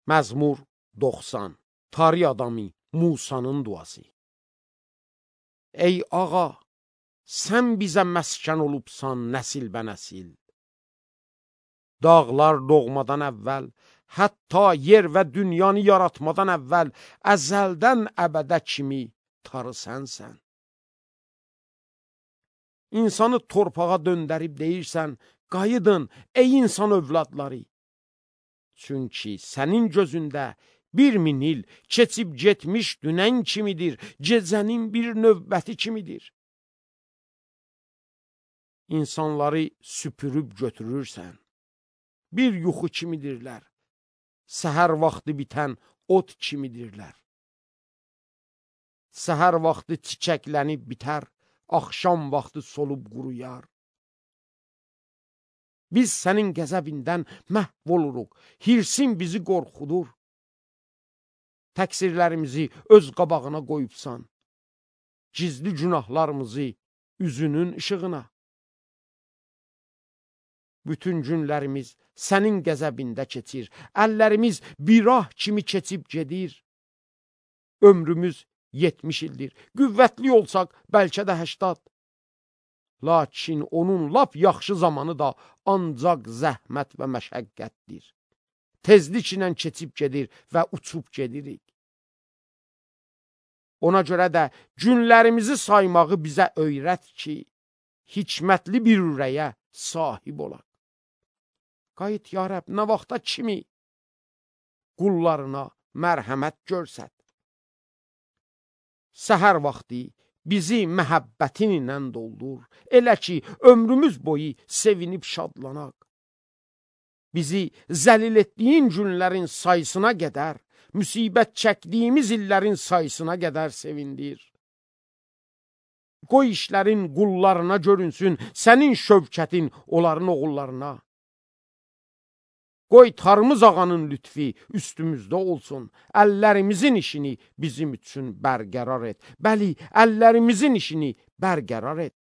Məzmur 90. Tari adamı Musanın duası. Ey ağa, sən bizə məskən olubsan nəsil bə nəsil. Dağlar doğmadan əvvəl, hətta yer və dünyanı yaratmadan əvvəl, əzəldən əbədə kimi tarı sənsən. İnsanı torpağa döndərib deyirsən, qayıdın ey insan övladları. Çünki sənin gözündə 1000 il keçib getmiş dünən kimidir, gecənin bir növbəti kimidir. İnsanları süpürüb götürürsən, bir yuxu kimidirlər, səhər vaxtı bitən ot kimidirlər. Səhər vaxtı çiçəklənib bitər, axşam vaxtı solub quruyar. Biz sənin qəzəbindən məhv oluruq, hirsin bizi qorxudur. Təqsirlərimizi öz qabağına qoyubsan, gizli günahlarımızı üzünün işığına. Bütün günlərimiz sənin qəzəbində keçir, əllərimiz bir ah kimi keçib gedir. Ömrümüz 70 ildir, qüvvətli olsaq bəlkə də 80. Lakin onun lap yaxşı zamanı da ancaq zəhmət və məşəqqətdir. Tezliklə keçib gedir və uçub gedirik. Ona görə də günlərimizi saymağı bizə öyrət ki, hikmətli bir ürəyə sahib olaq. Qayıt ya Rəbb, nə vaxta kimi qullarına mərhəmət görsət. Səhər vaxtı bizi məhəbbətin ilə doldur, elə ki, ömrümüz boyu sevinib şadlanaq. Bizi zəlil etdiyin günlərin sayısına qədər, müsibət çəkdiyimiz illərin sayısına qədər sevindir. Qoy işlərin qullarına görünsün, sənin şövkətin onların oğullarına. Qoy Tarımız ağanın lütfi üstümüzdə olsun, əllərimizin işini bizim üçün bərqərar et. Bəli, əllərimizin işini bərqərar et.